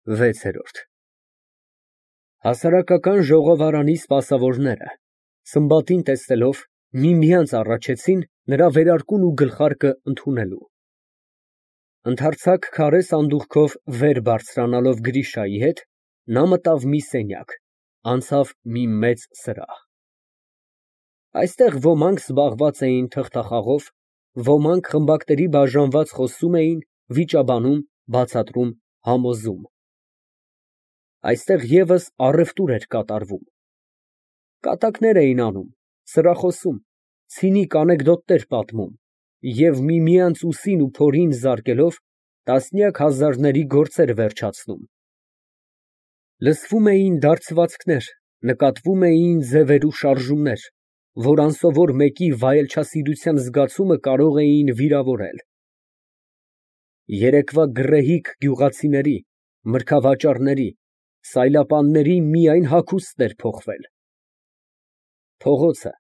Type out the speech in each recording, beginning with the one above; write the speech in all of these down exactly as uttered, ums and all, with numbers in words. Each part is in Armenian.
վեցերորդ Հասարակական ժողովարանի սպասավորները, Սմբատին տեսնելով, միմյանց առաջեցին նրա վերարկուն ու գլխարկը ընդունելու։ Ընդարձակ քարե սանդուղքով վեր բարձրանալով Գրիշայի հետ, նա մտավ մի սենյակ, անցավ մի մեծ սրահ։ Այստեղ ոմանք զբաղված էին թղթախաղով, ոմանք խմբակների բաժանված խոսում էին, վիճաբանում, բացատրում, համոզում։ Այստեղ ևս առևտուր էր կատարվում։ Կատակներ էին անում, սրախոսում, ցինիկ անեկդոտներ պատմում և միմյանց ուսին ու փորին զարկելով տասնյակ հազարների գործեր վերջացնում։ Լսվում էին դարձվածքներ, նկատվում էին ձևեր ու շարժումներ, որ անսովոր մեկի վայելչասիրության զգացումը կարող էին վիրավորել։ Երեկվա գռեհիկ գյուղացիների, մրգավաճառների, սայլապանների միայն հագուստն էր փոխվել։ Փողոցը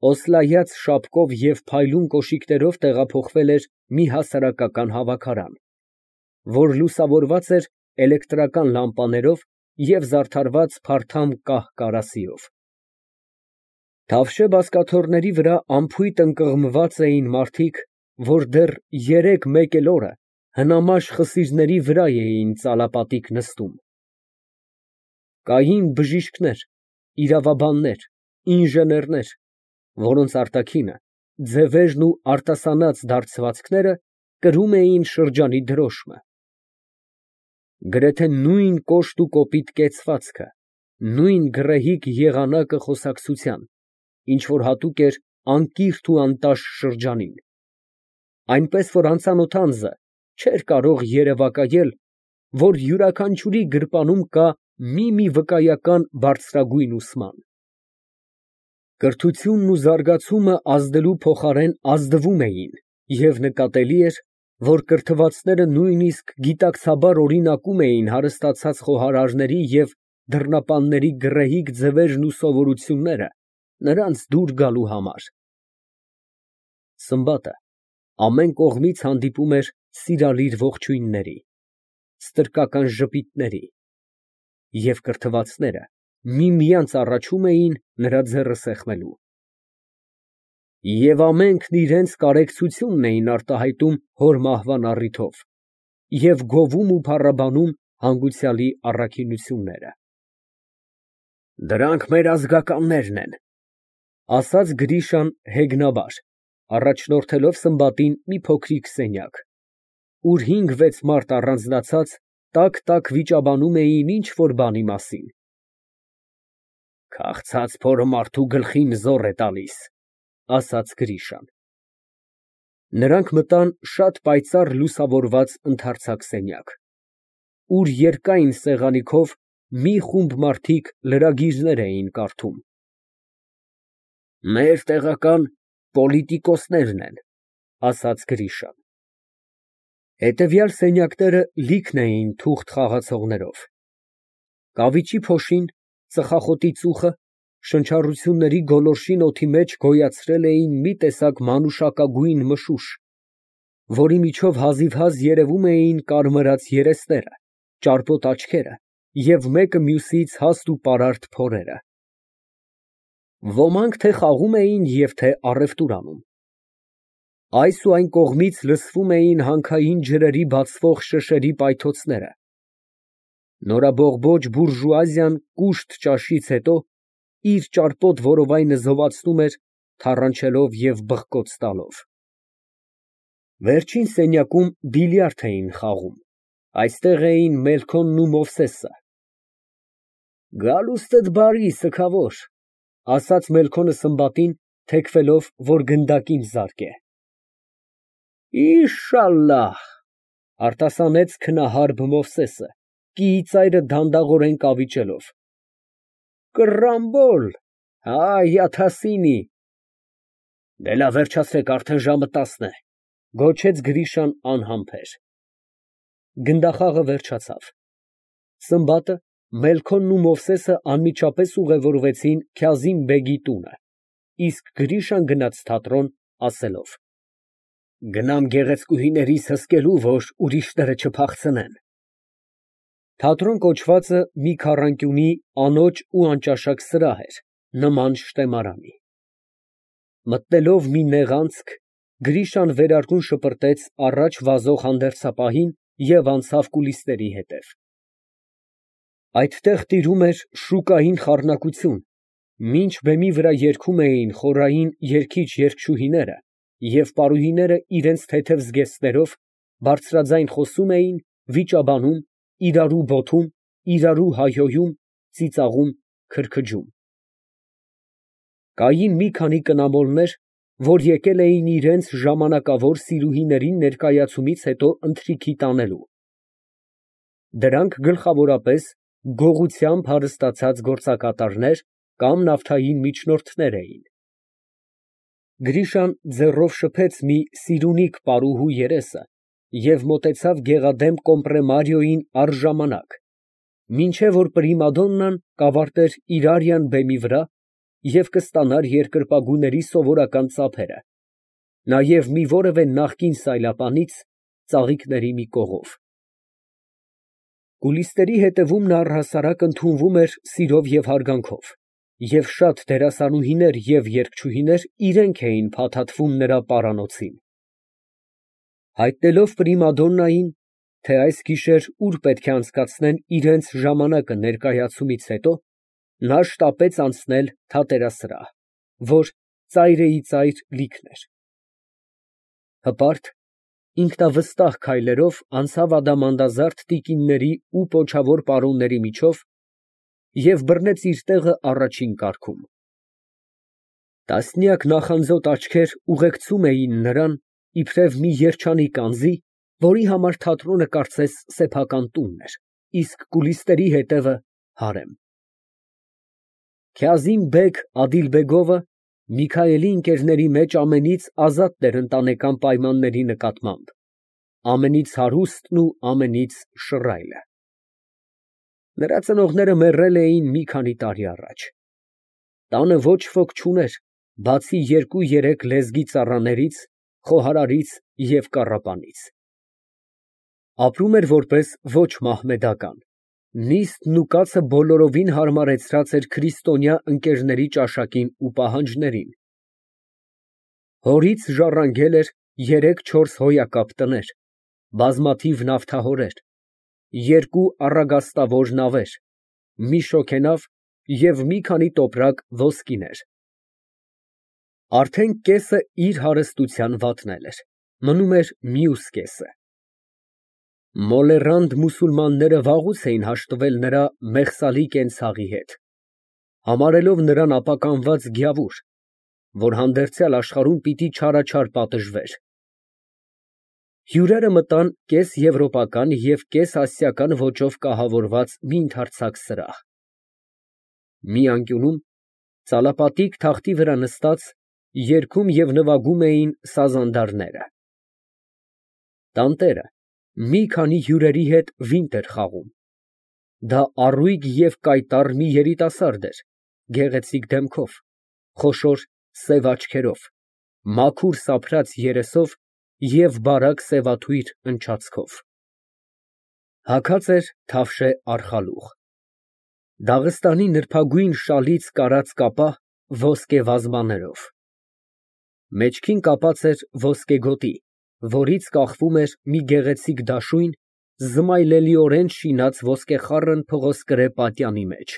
օսլայած շապկով և փայլուն կոշիկներով տեղափոխվել էր մի հասարակական հավաքարան, որ լուսավորված էր էլեկտրական լամպաներով և զարդարված փարթամ կահ֊կարասիով։ Թավշե բազկաթոռների վրա անփույթ ընկղմված էին մարդիկ, որ դեռ երեկ֊մեկ էլ օրը հնամաշ խսիրների վրա էին ծալապատիկ նստում։ Կային բժիշկներ, իրավաբաններ, ինժեներներ, որոնց արտաքինը, ձևերն ու արտասանած դարձվածքները կրում էին շրջանի դրոշմը։ Գրեթե նույն կոշտ ու կոպիտ կեցվածքը, նույն գռեհիկ եղանակը խոսակցության, ինչ որ հատուկ էր անկիրթ ու անտաշ շրջանին, այնպես որ անծանոթ անձը չէր կարող երևակայել, որ յուրաքանչյուրի գրպանում կա մի֊մի վկայական բարձրագույն ուսման։ Կրթությունն ու զարգացումը ազդելու փոխարեն ազդվում էին, և նկատելի էր, որ կրթվածները նույնիսկ գիտակցաբար օրինակում էին հարստացած խոհարարների և դռնապանների գռեհիկ ձևերն ու սովորությունները նրանց դուր գալու համար։ Սմբատը ամեն կողմից հանդիպում էր սիրալիր ողջույնների, ստրկական ժպիտների, և կրթվածները միմյանց առաջում էին նրա ձեռքը սեղմելու։ Եվ ամենքն իրանց կարեկցությունն էին արտահայտում հոր մահվան առիթով և գովում ու փառաբանում հանգուցյալի առաքինությունները։ «Դրանք մեր ազգականներն են», ֊ ասաց Գրիշան հեգնաբար, առաջնորդելով Սմբատին մի փոքրիկ սենյակ, ուր հինգ֊վեց մարդ առանձնացած տաք֊տաք վիճաբանում էին ինչ֊որ բանի մասին։ «Քաղցած փորը մարդու գլխին զոռ է տալիս», ֊ ասաց Գրիշան։ Նրանք մտան շատ պայծառ լուսավորված ընդարձակ սենյակ, ուր երկայն սեղանի քով մի խումբ մարդիկ լրագիրներ էին կարդում։ «Մեր տեղական պոլիտիկոսներն են», ֊ ասաց Գրիշան։ Հետևյալ սենյակները լիքն էին թուղթ խաղացողներով։ Կավիճի փոշին, ծխախոտի ծուխը, շնչառությունների գոլորշին օդի մեջ գոյացրել էին մի տեսակ մանուշակագույն մշուշ, որի միջով հազիվհազ երևում էին կարմրած երեսները, ճարպոտ աչքերը և մեկը մյուսից հաստ ու պարարտ փորերը։ Ոմանք թե խաղում էին և թե առևտուր անում։ Այս ու այն կողմից լսվում էին հանքային ջրերի բացվող շշերի պայթոցները։ Նորաբողբոջ բուրժուազիան կուշտ ճաշից հետո իր ճարպոտ որովայնը զովացնում էր, թառանչելով և բղկոց տալով։ Վերջին սենյակում բիլիարդ էին խաղում, այստեղ էին Մելքոնն ու Մովսեսը։ «Գալուստդ բարի, սգավոր», ֊ ասաց Մելքոնը Սմբատին, թեքվելով, որ գնդակին զարկե։ «Իշալլահ», ֊ արտասանեց քնահարբ Մովսեսը, կիիծայրը դանդաղորեն կավիճելով։ «Կռամբոլ, հայ աթասինի»։ Դե լավ, վերջացրեք, արդեն ժամը տասն է, ֊ գոչեց Գրիշան անհամբեր։ Գնդախաղը վերջացավ։ Սմբատը, Մելքոնն ու Մովսեսը անմիջապես ուղևորվեցին Քյազիմ֊բեգի տունը, իսկ Գրիշան գնաց թատրոն, ասելով. «Գնամ գեղեցկուհիներիս հսկելու, որ ուրիշները չփախցնեն»։ Թատրոն կոչվածը մի քառանկյունի անոճ ու անճաշակ սրահ էր, նման շտեմարանի։ Մտնելով մի նեղ անցք, Գրիշան վերարկուն շպրտեց առաջ վազող հանդերձապահին և անցավ կուլիսների հետև։ Այդտեղ տիրում էր շուկային խառնակություն, մինչ բեմի վրա երգում էին խորային երգիչ֊երգչուհիները, և պարուհիները իրենց թեթև զգեստներով բարձրաձայն խոսում էին, վիճաբանում, իրարու բոթում, իրարու հայհոյում, ծիծաղում, քրքջում։ Կային մի քանի կնամոլներ, որ եկել էին իրենց ժամանակավոր սիրուհիներին ներկայացումից հետո ընթրիքի տանելու։ Դրանք գլխավորապես գողությամբ հարստացած գործակատարներ կամ նավթային միջնորդներ էին։ Գրիշան ձեռով շփեց մի սիրունիկ պարուհու երեսը և մոտեցավ գեղադեմ կոմպրեմարիոյին առժամանակ, մինչև որ պրիմադոննան կավարտեր իր արիան բեմի վրա և կստանար երկրպագուների սովորական ծափերը, նաև մի որևէ նախկին սայլապանից ծաղիկների մի կողով։ Կուլիսների հետևում նա առհասարակ ընդունվում էր սիրով և հարգանքով, և շատ դերասանուհիներ և երգչուհիներ իրենք էին փաթաթվում նրա պարանոցին։ Հայտնելով պրիմադոննային, թե այս գիշեր ուր պետք է անցկացնեն իրենց ժամանակը ներկայացումից հետո, նա շտապեց անցնել թատերասրահ, որ ծայրիծայր լիքն էր։ Հպարտ, ինքնավստահ քայլերով անցավ ադամանդազարդ տիկինների ու պոչավոր պարոնների միջով և բռնեց իր տեղը առաջին կառքում։ Տասնյակ նախանձոտ աչքեր ուղեկցում էին նրան, իբրև մի երջանիկ անձի, որի համար թատրոնը կարծես սեփական տունն էր, իսկ կուլիսների հետևը հարեմ։ Քազիմ֊բեգ Ադիլբեգովը Միքայելի ընկերների մեջ ամենից ազատն էր ընտանեկան պայմանների նկատմամբ, ամենից հարուստն ու ամենից շռայլը։ Նրա ծնողները մեռել էին մի քանի տարի առաջ։ Տանը ոչ ոք չուներ, բացի երկու֊երեք լեզգի ծառաներից, խոհարարից և կառապանից։ Ապրում էր որպես ոչ մահմեդական, նիստն ու կացը բոլորովին հարմարեցրած էր քրիստոնյա ընկերների ճաշակին ու պահանջներին։ Հորից ժառանգել էր երեք֊չորս հոյակապ տներ, բազմաթիվ նավթահորեր, երկու առագաստավոր նավեր, մի շոգենավ և մի քանի տոպրակ ոսկիներ։ Արդեն կեսը իր հարստության վատնել էր, մնում էր մյուս կեսը։ Մոլեռանդ մուսուլմանները վաղուց էին հաշտվել նրա մեղսալի կենցաղի հետ, համարելով նրան ապականված գյավուր, որ հանդերձյալ աշխարհում պիտի չարաչար պատժվեր։ Հյուրերը մտան կես֊եվրոպական և կես֊ասիական ոճով կահավորված մի ընդարձակ սրահ։ Մի անկյունում, ծալապատիկ թախտի վրա նստած, երգում և նվագում էին սազանդարները։ Տանտերը մի քանի հյուրերի հետ վինտ էր խաղում։ Դա առույգ և կայտառ մի երիտասարդ էր, գեղեցիկ դեմքով, խոշոր սև աչքերով, մաքուր սափրած երեսով և բարակ սևաթույր ընչացքով։ Հագած էր թավշե արխալուղ։ Դաղստանի նրբագույն շալից կարած կապա ոսկե վազմաներով։ Մեջքին կապած էր ոսկե գոտի, որից կախվում էր մի գեղեցիկ դաշույն, զմայլելիորեն շինած ոսկեխառն փղոսկրե պատյանի մեջ։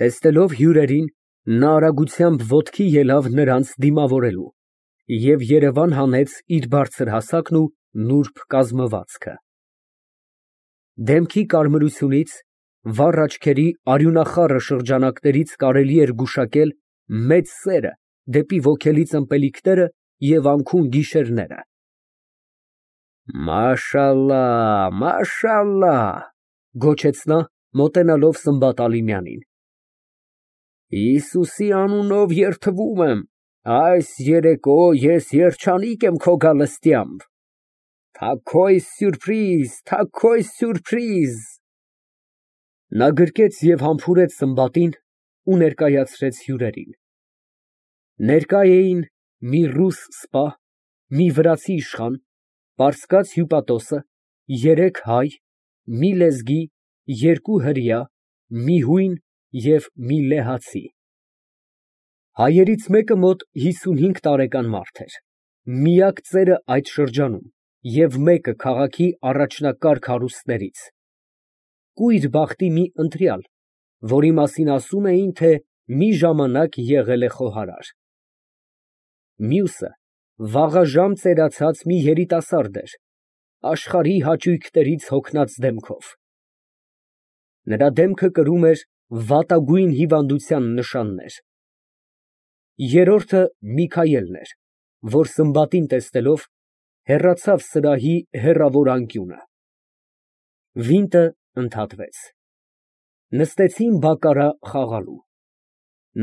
Տեսնելով հյուրերին, նա արագությամբ ոտքի ելավ նրանց դիմավորելու և երևան հանեց իր բարձր հասակն ու նուրբ կազմվածքը։ Դեմքի կարմրությունից, վառ աչքերի արյունախառը շրջանակներից կարելի էր գուշակել մեծ սերը դեպի ոգելից ըմպելիքները և անքուն գիշերները։ «Մաշալլահ, մաշալլահ», գոչեց նա, մոտենալով Սմբատ Ալիմյանին։ «Հիսուսի անունով երդվում եմ, այս երեկո ես երջանիկ եմ քո գալստյամբ։ Թաքոյ սյուրպրիզ, թաքոյ սյուրպրիզ»։ Նա գրկեց և համբուրեց Սմբատին ու ներկայացրեց հյուրերին։ Ներկա էին մի ռուս սպա, մի վրացի իշխան, պարսկաց հյուպատոսը, երեք հայ, մի լեզգի, երկու հրեա, մի հույն և մի լեհացի։ Հայերից մեկը մոտ հիսունհինգ տարեկան մարդ էր, միակ ծերը այդ շրջանում և մեկը քաղաքի առաջնակարգ հարուստներից, կույր բախտի մի ընտրյալ, որի մասին ասում էին, թե մի ժամանակ եղել է խոհարար։ Մյուսը վաղաժամ ծերացած մի երիտասարդ էր, աշխարհի հաճույքներից հոգնած դեմքով։ Նրա դեմքը կրում էր վատագույն հիվանդության նշաններ։ Երրորդը Միքայելն էր, որ Սմբատին տեսնելով, հեռացավ սրահի հեռավոր անկյունը։ Վինտը ընդհատվեց։ Նստեցին բակկարա խաղալու։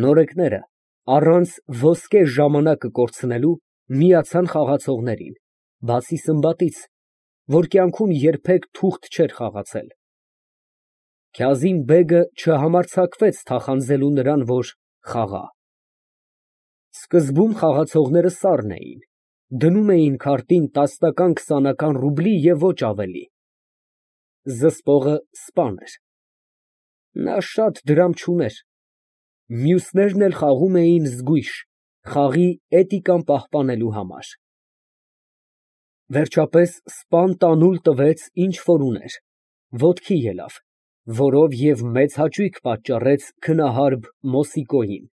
Նորեկները, առանց ոսկե ժամանակը կորցնելու, միացան խաղացողներին, բացի Սմբատից, որ կյանքում երբեք թուղթ չէր խաղացել։ Քազիմ֊բեգը չհամարձակվեց թախանձելու նրան, որ խաղա։ Սկզբում խաղացողները սառն էին, դնում էին քարտին տասնական֊քսանական ռուբլի և ոչ ավելի։ Զսպողը սպան էր։ Նա շատ դրամ չուներ։ Մյուսներն էլ խաղում էին զգույշ, խաղի էտիկան պահպանելու համար։ Վերջապես սպան տանուլ տվեց, ինչ որ ուներ, ոտքի ելավ, որով և մեծ հաճույք պատճառեց քնահարբ Մոսիկոյին։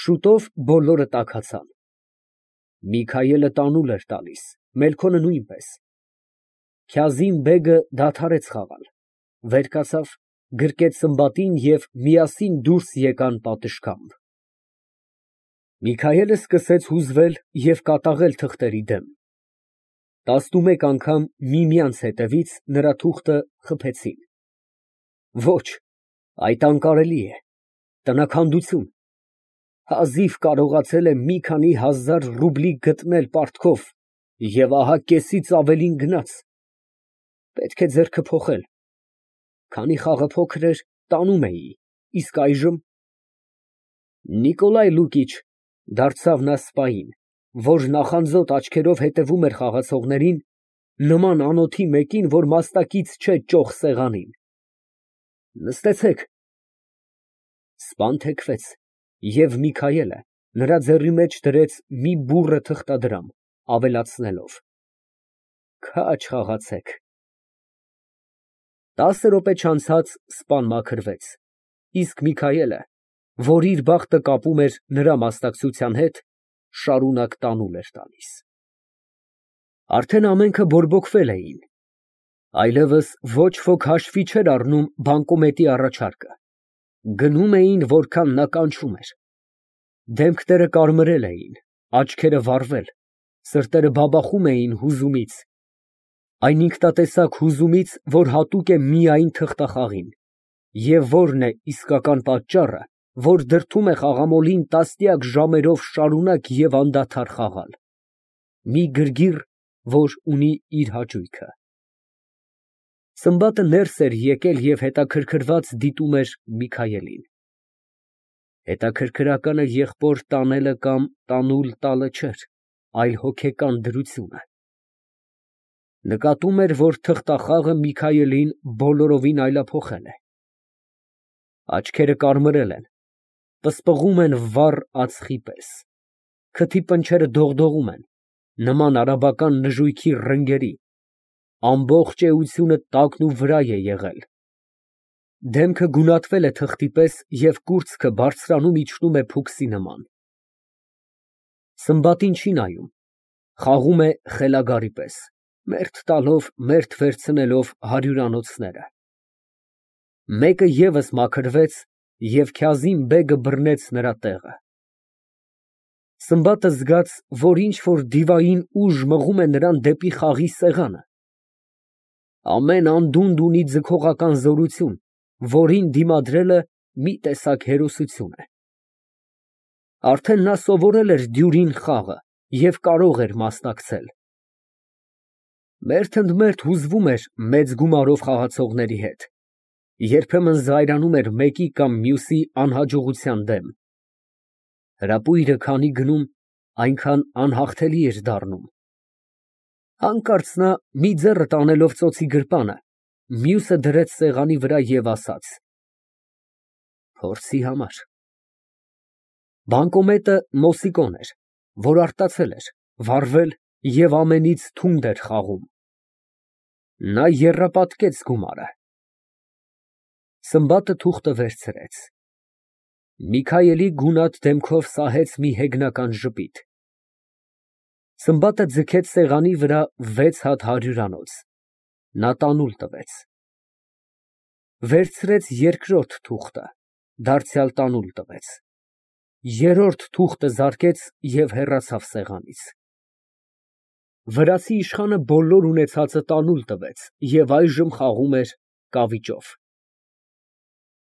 Շուտով բոլորը տաքացան։ Միքայելը տանուլ էր տալիս, Մելքոնը նույնպես։ Քազիմ֊բեգը դադարեց խաղալ, վեր կացավ, գրկեց Սմբատին և միասին դուրս եկան պատշգամբ։ Միքայելը սկսեց հուզվել և կատաղել թղթերի դեմ։ Տասնումեկ անգամ միմյանց հետևից նրա թուղթը խփեցին։ Ոչ, այդ անկարելի է, տնաքանդություն։ Հազիվ կարողացել է մի քանի հազար ռուբլի գտնել պարտքով և ահա կեսից ավելին գնաց։ Պետք է ձեռքը փոխել։ Քանի խաղը փոքր էր, տանում էի, իսկ այժմ… Նիկոլայ Լուկիչ, դարձավ նա սպային, որ նախանձոտ աչքերով հետևում էր խաղացողներին, նման անոթի մեկին, որ մաստակից չէ ճոխ սեղանին։ Նստեցեք։ Սպան թեքվեց, և Միքայելը նրա ձեռի մեջ դրեց մի բուռը թղթադրամ, ավելացնելով. Քաջ խաղացեք։ Տասը րոպե չանցած սպան մաքրվեց, իսկ Միքայելը, որ իր բախտը կապում էր նրա մասնակցության հետ, շարունակ տանուլ էր տալիս։ Արդեն ամենքը բորբոքվել էին, այլևս ոչ ոք հաշվի չէր առնում բանկոմետի առաջարկը, գնում էին, որքան նա կանչում էր։ Դեմքները կարմրել էին, աչքերը վառվել, սրտերը բաբախում էին հուզումից, այն ինքնատեսակ հուզումից, որ հատուկ է միայն թղթախաղին, և որն է իսկական պատճառը, որ դրդում է խաղամոլին տասնյակ ժամերով շարունակ և անդադար խաղալ։ Մի գրգիռ, որ ունի իր հաճույքը։ Սմբատը ներս էր եկել և հետաքրքրված դիտում էր Միքայելին։ Հետաքրքրականը եղբոր տանելը կամ տանուլ տալը չէր, այլ հոգեկան դրությունը։ Նկատում էր, որ թղթախաղը Միքայելին բոլորովին այլափոխել է։ Աչքերը կարմրել են, պսպղում են վառ ածխի պես, քթի պնչերը դողդողում են, նման արաբական նժույգի ռնգերի, ամբողջ էությունը տակն ու վրա է եղել։ Դեմքը գունատվել է թղթի պես և կուրծքը բարձրանում իջնում է փուքսի նման։ Սմբատին չի նայում, խաղում է խելագարի պես, մերթ տալով, մերթ վերցնելով հարյուրանոցները։ Մեկը ևս մաքրվեց, և Քազիմ֊բեգը բռնեց նրա տեղը։ Սմբատը զգաց, որ ինչ֊որ դիվային ուժ մղում է նրան դեպի խաղի սեղանը։ Ամեն անդունդ ունի ձգողական զորություն, որին դիմադրելը մի տեսակ հերոսություն է։ Արդեն նա սովորել էր դյուրին խաղը և կարող էր մասնակցել։ Մերթընդմերթ հուզվում էր մեծ գումարով խաղացողների հետ, երբեմն զայրանում էր մեկի կամ մյուսի անհաջողության դեմ։ Հրապույրը քանի գնում, այնքան անհաղթելի էր դառնում։ Հանկարծ նա, մի ձեռը տանելով ծոցի գրպանը, մյուսը դրեց սեղանի վրա և ասաց. Փորձի համար։ Բանկոմետը Մոսիկոն էր, որ արտացել էր, վառվել և ամենից թունդ էր խաղում։ Նա եռապատկեց գումարը։ Սմբատը թուղթը վերցրեց։ Միքայելի գունատ դեմքով սահեց մի հեգնական ժպիտ։ Սմբատը ձգեց սեղանի վրա վեց հատ հարյուրանոց, նա տանուլ տվեց։ Վերցրեց երկրորդ թուղթը, դարձյալ տանուլ տվեց, երրորդ թուղթը զարկեց և հեռացավ սեղանից։ Վրացի իշխանը բոլոր ունեցածը տանուլ տվեց և այժմ խաղում էր կավիճով։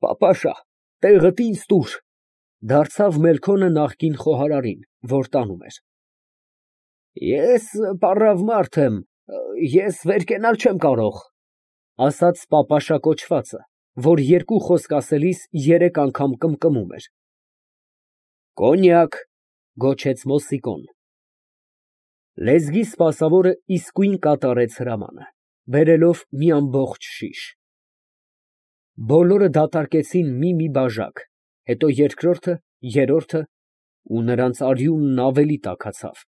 Պապաշա, տեղդ ինձ տուր, դարձավ Մելքոնը նախկին խոհարարին, որ տանում էր։ Ես պառավ մարդ եմ, ես վեր կենալ չեմ կարող, ասաց պապաշա կոչվածը, որ երկու խոսք ասելիս երեք անգամ կմկմում էր։ Կոնյակ, գոչեց Մոսիկոն։ Լեզգի սպասավորը իսկույն կատարեց հրամանը, բերելով մի ամբողջ շիշ։ Բոլորը դատարկեցին մի֊մի բաժակ, հետո երկրորդը, երրորդը, ու նրանց արյունն ավելի տաքացավ։